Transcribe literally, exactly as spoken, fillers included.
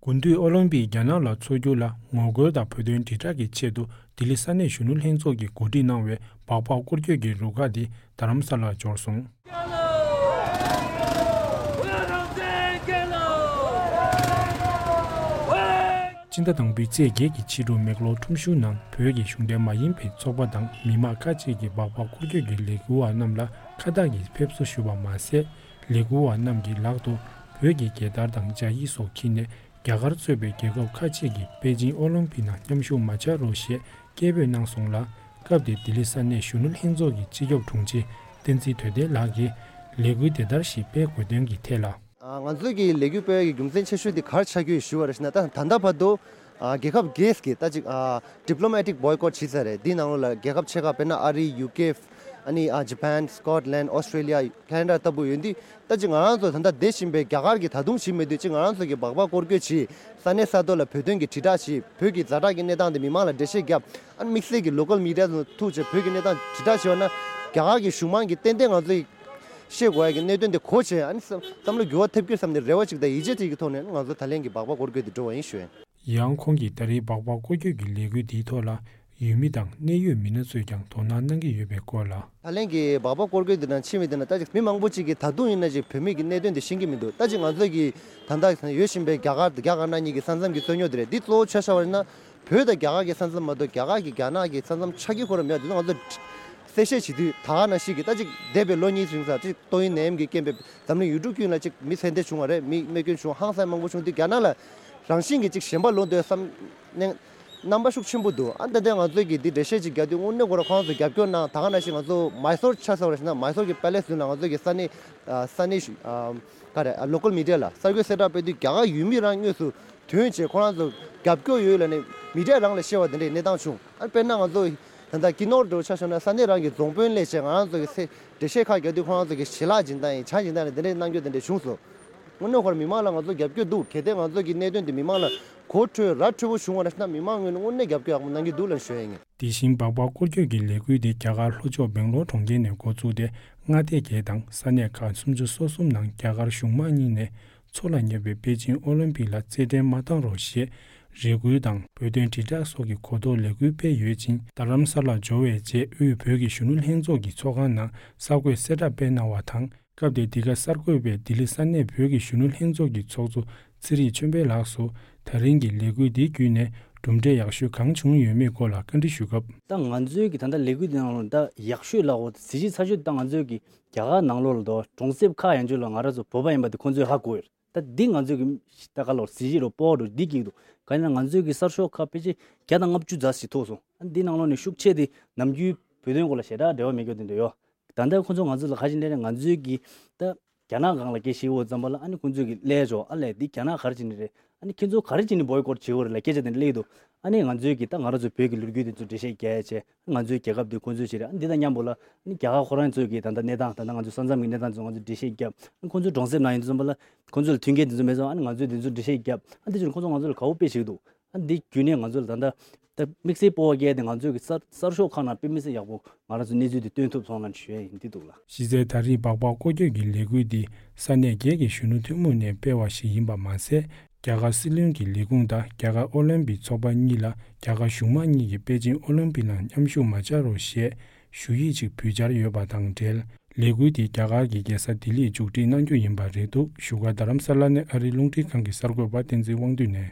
དགུན་དུས་ཨོ་ལིམ་པིག་རྒྱ་ནག་ལ་འཚོགས་རྒྱུ་ལ་ངོ་རྒོལ་དང་བོད་དོན་དྲིལ་བསྒྲགས་ཀྱི་ཆེད་དུ་ལྡི་ལི་ས་གནས་གཞོན་ནུ་ལྷན་ཚོགས་ཀྱིས་གོ་སྒྲིག་གནང་བའི་སྦག་སྦག་སྐོར་སྐྱོད་ཀྱི་རུ་ཁག་འདི་རྡ་རམ་ས་ལར་འབྱོར་སོང་། སྤྱི་ཟླ་དང་པོའི་ཚེས་བརྒྱད་ཀྱི་ཕྱི་དྲོ་མེག་ལོར་ཁྲོམ་གཞུང་ནང་བོད་ཀྱི་གཞུང་འབྲེལ་མ་ཡིན་པའི་ཚོགས་པ་དང་མི་མང་ཁག་ཅིག་གིས་སྦག་སྦག་སྐོར་སྐྱོད་ཀྱི་ལས་འགུལ་བ་རྣམས་ལ་ཁ་བཏགས་ཀྱིས་ཕེབས་བསུ་ཞུས་པ་མ་ཟད། ལས་འགུལ་བ་རྣམས་ཀྱི་ལག་ཏུ་བོད་ཀྱི་རྒྱལ་དར་དང་ཇ་ཡིག་སོགས་འཁྱེར་ནས་རྒྱ་གར་གཙོས་པའི་རྒྱལ་ཁབ་ཁག་ཅིག་གིས་པེ་ཅིང་ཨོ་ལིམ་པིག་ནང་མཉམ་ཞུགས་མ་བྱ་རོགས་ཞེས་སྐད་འབོད་གནང་སོང་ལ། སྐབས་དེར་ལྡི་ལི་ས་གནས་གཞོན་ནུ་ལྷན་ཚོགས་ཀྱི་སྤྱི་ཁྱབ་དྲུང་ཆེ་བསྟན་འཛིན་དོན་ལྡན་ལགས་ཀྱིས་ལས་འགུལ་དེ་ལྟར་ཞིག་སྤེལ་དགོས་དོན་གྱི་ཐད་ལ། ང་ཚོས་ཀྱི་ལས་འགུལ་སྤེལ་བའི་རྒྱུ་མཚན་ཆེ་ཤོས་དེ་ག་རེ་ཆགས་ཀྱི་ཡོད་ཞུ་བ་རེད་ཟེར་ན། ད་ད་ལྟ་བར་དུ་རྒྱལ་ཁབ་བརྒྱད་ཀྱིས་ད་ཅིག་diplomatic boycott་བྱས་ཚར་རེད། འདིའི་ནང་ལོགས་ལ་རྒྱལ་ཁབ་ཆེ་ཁག་དཔེར་ན་ཨ་རི། ཡུ་ཀེ། ཨ་ནི་ཨ་Japan, Scotland, Australia, Canada་ལྟ་བུ་ཡོད་དུས། ད་ཅིག་ང་རང་ཚོ་ད་ལྟ་བསྡད་བཞིན་པའི་རྒྱ་གར་གྱིས་ད་དུང་བྱེད་མེད་དུས། ཅིག་ང་རང་ཚོ་གིས་སྦག་སྦག་སྐོར་སྐྱོད་བྱས། ས་གནས་ས་ཐོག་ལ་བོད་དོན་གྱི་དྲིལ་བསྒྲགས་བྱས། བོད་ཀྱི་ཛ་དྲག་གི་གནས་སྟངས་དེ་མི་མང་ལ་འགྲེལ་བཤད་བརྒྱབ། ཨ་ནི་དམིགས་བསལ་གྱི་local media་ཚོ་ཐུག་བྱས་བོད་ཀྱི་གནས་སྟངས་དྲིལ་བསྒྲགས་བྱས་པ་ན། རྒྱ་གར་གྱི་གཞུང་མང་གིས་ཏན་ཏན་ང་ཚོས་ཤེས་དགོས་ཡ་གི་གནད་དོན་དེ་གོ་བྱས། ཨ་ནི་བསམ་བསམ་བློ་འགྱུར་བ་ཐེབས་ཀྱི་བསམ་ནས་རེ་བ་ཅིག་དང་ཡིད་ཆེས་ཅིག་གི་ཐོག་ནས་ང་ཚོ་ད་ལན་གྱི་སྦག་སྦག་སྐོར་སྐྱོད་དེ་འགྲོ་བ་ཡིན་ཞུ་ཡིན། ཡང་ཁོང་གིས་ད་རེས་སྦག་སྦག་སྐོར་སྐྱོད་ཀྱི་ལས་འགུལ་འདིའི་ཐོག་ལ་ཡུལ་མི་དང་གནད་ཡོད་མི་སྣ་ཚོས་ཀྱང་དོ་སྣང་གནང་གི་ཡོད་པའི་སྐོར་ལ། ད་ལན་གྱི་སྦག་སྦག་སྐོར་སྐྱོད་འདི་ནང་ཕྱིན་པའི་དེ་ན། ད་ཅིག་མི་མང་པོ་ཅིག་གིས་ད་དུང་ཡིན་ན་ཅིག་བོད་མི་གི་གནད་དོན་དེ་ཤེས་ཀྱི་མི་འདུག་ད་ཅིག་ང་ཚོ་གི་ད་ལྟ་ཡོད་བཞིན་པའི་རྒྱ་གར་དང་རྒྱ་དཀར་ནག་གཉིས་ཀྱི་ས་མཚམས་ཀྱི་རྩོད་རྙོག་དེ་རེད། འདི་གཙོ་བོ་ཆ་བཞག་པ་ཡིན་ན། བོད་དང་རྒྱ་གར་གྱི་ས་མཚམས་མ་གཏོགས་རྒྱ་གར་གྱིས་རྒྱ་ནག་གི་ས་མཚམས་ཆགས་ཀྱི་ཁོ་རང་མེད། དེ་ཚོ་ང་ཚོ་གསལ་བཤད་བྱེད་དུས། ད་ག་ནང་བཞིན་གྱི་ད་ཅིག་འདས་པའི་ལོ་གཉིས་རིང་ཙམ་ཅིག་ཏོག་དབྱིབས་ནད་ཡམས་ཀྱི་རྐྱེན་པས་འཛམ་གླིང་ཡུལ་གྲུ་ཀུན་ལ་ཅིག་མི་ཚེ་འདས་བྱུང་བ་རེད། མི་རྨས་སྐྱོན་བྱུང་། ཧང་སང་མང་པོ་བྱུང་དུས། རྒྱ་ནག་ལ་རང་བཞིན་གྱིས་ཅིག་ཞེན་པ་ལོག་འདོད་བསམ་གནས་རྣམ་པ་ཤུགས་ཆེན་པོ་འདུག་ཨ་ད་ལྟ་ང་ཚོས་ཀྱིས་འདི་འགྲེལ་བཤད་ཅིག་རྒྱག་དུས། དངོས་གནས་ཁོ་རང་ཁོང་ཚོ་རྒྱབ་སྐྱོར་གནང་། ད་ག་ནང་བཞིན་ང་ཚོ་མཱི་སོར་ཆ་བཞག་པ་ཡིན་ན། མཱི་སོར་གྱི་པེ་ལེ་སི་མདུན་ལ་ང་ཚོ་གི་ས་གནས་ཨ་ས་གནས་ཨ་ག་རེ་ཨ་local media་ལ་གསར་འགོད་གསལ་བསྒྲགས་སྤེལ་དུས། རྒྱ་གར་ཡུལ་མི་རང་དངོས་སུ་ཐོན་བྱས་ཁོ་རང་ཚོ་རྒྱབ་སྐྱོར་ཡོད་ལབ་ནས་མི་ཌི་ཡ་རང་ལ་བཤད་པ་དེ་འདྲའི་གནས་སྟངས་བྱུང་། ཨ་དཔེར་ན་ང་ཚོ་ད་ལྟ་ཀི་ནོར་འདྲ་བོ་ཆ་བཞག་ན། ས་གནས་རང་གི་རྫོང་དཔོན་སླེབས་བྱས་ང་རང་ཚོ་གི་ཚེ་འགྲེལ་བཤད་ཁག་རྒྱག་དུས། ཁོ་རང་ཚོ་གི་ཞལ་ལག་སྦྱིན་སྟངས་ཡིན། ཇ་སྦྱིན་སྟངས་ཡིན། དེ་འདྲའི་གནང་རྒྱུ་དེ་འདྲ་བྱུང་སོང་། དངོས་གནས་ཁོ་རང་མི་མང་ལ་ང་ཚོ་རྒྱབ་སྐྱོར་འདུག་གལ་ཏེ་ང་ཚོ་གི་གནད་དོན་དེ་མི་མང་ལ་གོ་འཕྲོད་ར་འཕྲོད་པོ་བྱུང་བ་རེད་ན། མི་མང་ངོས་ནས་དངོས་གནས་རྒྱབ་སྐྱོར་ཡག་པོ་གནང་གི་འདུག་ལབ་ཞུ་ཡ་ཡིན། དེ་བཞིན་སྦག་སྦག་སྐོར་སྐྱོད་ཀྱི་ལས་འགུལ་དེ་རྒྱ་གར་ལྷོ་ཕྱོགས་སྦེང་ལོར་གྲོང་ཁྱེར་ནས་འགོ་བཙུགས་ཏེ། མངའ་སྡེ་བརྒྱད་དང་ས་གནས་ཁག་སུམ་ཅུ་སོ་གསུམ་ནང་རྒྱ་གར་གཞུང་མང་གཉིས་ནས་འཚོགས་ལ་ཉེ་བའི་པེ་ཅིང་ཨོ་ལིམ་པིག་ལ་རྩེད་འགྲན་མ་བཏང་རོགས་ཞེས་རེ་སྐུལ་དང་། བོད་དོན་དྲིལ་བསྒྲགས་སོགས་ཀྱི་གོ་རྟོགས་ལས་འགུལ་སྤེལ་ཡོད་ཅིང་། རྡ་རམ་ས་ལར་འབྱོར་བའི་རྗེས་དབུས་བོད་ཀྱི་གཞོན་ནུ་ལྷན་ཚོགས་ཀྱི་ཚོགས་ཁང་ནང་གསར་འགོད་གསལ་བསྒྲགས་སྤེལ་གནང་བ་དང་། སྐབས་དེར་འདི་ག་གསར་འགོད་པས་ལྡི་ལི་ས་གནས་བོད་ཀྱི་གཞོན་ནུ་ལྷན་ཚོགས་ཀྱི་ཚོགས་གཙོ་ཚེ་རིང་ཆོས་འཕེལ་ལགས་སུ། ད་རིང་གི་ལས་འགུལ་འདི་བརྒྱུད་ནས་གྲུབ་འབྲས་ཡག་ཤོས་གང་བྱུང་ཡོད་མེད་སྐོར་ལ་བཀའ་འདྲི་ཞུ་སྐབས། ད་ང་ཚོའི་གི་ད་ལྟ་ལས་འགུལ་འདི་ནང་ལ་ད་ཡག་ཤོས་ལ་འོ་གཟི་བརྗིད་ཚ་ཤོས་ད་ང་ཚོའི་གི་རྒྱ་གར་ནང་ལོགས་ལ་དོ་གྲོང་གསེབ་ཁག་ཡན་ཆོད་ལ་ང་རང་ཚོ་བོད་པ་ཡིན་པ་དེ་ཁོང་ཚོས་ཧ་གོ་ཡོད། ད་འདི་ང་ཚོའི་གི་ད་ག་ལོར་གཟི་བརྗིད་རོ་སྤོབས་པ་རོ་འདི་སྐྱེ་གི་འདུག་གང་ཡིན་ན་ང་ཚོའི་གི་གསར་ཤོག་ཁག་ཕལ་ཆེར་བརྒྱ་དང་ལྔ་བཅུ་ཙམ་ཞིག་ཐུག་སོང་། ཨ་འདི་ནང་ལོགས་ནས་ཤུགས་ཆེ་དེ་ནམ་རྒྱུན་བོད་དོན་སྐོར་ལ་ཞེ་དྲག་འབྲེལ་བ་མེད་མཁན་དེ་འདྲ་ཡོད། ད་ལྟ་ཁོང་ཚོ་ང་ཚོ་ལ་ག་ཅིག་འདྲ་རེད། ང་ཚོའི་གི་ད་རྒྱ་ནག་སྒང་ལ་སྐད་ཆ་བཤད་འོ་ཙམ་པ་ལ། ཨ་ནི་ཁོང་ཚོས་གི་སླེབས་འགྲོ། ཨ་ལས་འདི་རྒྱ་ནག་ག་རེ་བྱེད་ནི་རེད། ཨ་ནི་ཁྱེད་ཚོ་ག་རེ་བྱེད་ནི་བོའི་ཀོཊ་བྱེད་འོ་རེད་ལ་སྐད་ཆ་དེ་འདྲ་སླེབས་འདུག་ཨ་ནི་ང་ཚོའི་གི་ད་ང་རང་ཚོ་བོད་ཀྱི་ལོ་རྒྱུས་དེ་ཚོ་འགྲེལ་བཤད་རྒྱག་ཡ་བྱས། ང་ཚོའི་རྒྱལ་ཁབ་དེ་ཁོང་ཚོས་བྱེད་རེད། ཨ་ནི་འདི་དང་མཉམ་པོ་ལ་ཨ་ནི་རྒྱ་གར་ཁོ་རང་ཚོའི་གི་ད་ལྟ་གནས་སྟངས། ད་ལྟ་ང་ཚོའི་ས་མཚམས་ཀྱི་གནས་སྟངས་ཚོ་ང་ཚོས་འགྲེལ་བཤད་བརྒྱབ། ཨ་ནི་ཁོང་ཚོའི་གྲོང་གསེབ་ནང་ཡིན་ཙམ་པ་ལ་ཁོང་ཚོ་ལ་མཐུན་རྐྱེན་དེ་ཚོ་མེད་ཙང་། ཨ་ནི་ང་ཚོས་དེ་ཚོ་འགྲེལ་བཤད་བརྒྱབ། ཨ་ནི་དེ་བྱས་ཁོང་ཚོ་ང་ཚོ་ལ་དགའ་བོ་དཔེ་བྱེད་འདུག་ཨ་འདི་བརྒྱུད་ནས་ང་ཚོ་ལ་ད་ལྟ་ད་དམིགས་བསལ་སྤོབས་པ་སྐྱེས་ཏེ། ང་ཚོའི་གི་གསར་གསར་ཤོག་ཁག་ནང་དཔེ་མི་སྲིད་ཡག་པོ་ང་རང་ཚོ་གནས་ཚུལ་འདི་སྟོན་ཐུབ་སོང་ལབ་ཞུ་ཡ་ཡིན། འདི་འདུག་ལ། གཞི་རྩའི་ད་རེས་སྦག་སྦག་སྐོར་སྐྱོད་ཀྱི་ལས་འགུལ་འདི་ས་གནས་བརྒྱད་ཀྱི་གཞོན་ནུ་ཐུན་མོང་ནས་སྤེལ་བ་ཞིག་ཡིན་པ་མ་ཟད། རྒྱ་གར་སྲིད་བློན་གྱི་ལས་ཁུངས་དང་རྒྱ་གར་ཨོ་ལིམ་པིག་ཚོགས་པ་གཉིས་ལ་རྒྱ་གར་གཞུང་མང་གཉིས་ཀྱིས་པེ་ཅིང་ཨོ་ལིམ་པིག་ནང་མཉམ་ཞུགས་མ་བྱ་རོགས་ཞེས་ཞུ་ཡིག་ཅིག་ཕུལ་འཆར་ཡོད་པ་དང་འབྲེལ། ལས་འགུལ་འདི་རྒྱ་གར་གྱི་རྒྱལ་ས་ལྡི་ལིར་མཇུག་སྒྲིལ་གནང་རྒྱུ་ཡིན་པ་རེད་འདུག་བཞུགས་སྒར་རྡ་རམ་ས་ལ་ནས་ཨ་རིའི་རླུང་འཕྲིན་ཁང་གི་གསར་འགོད་པ་བསྟན་འཛིན་དབང་འདུས་ནས།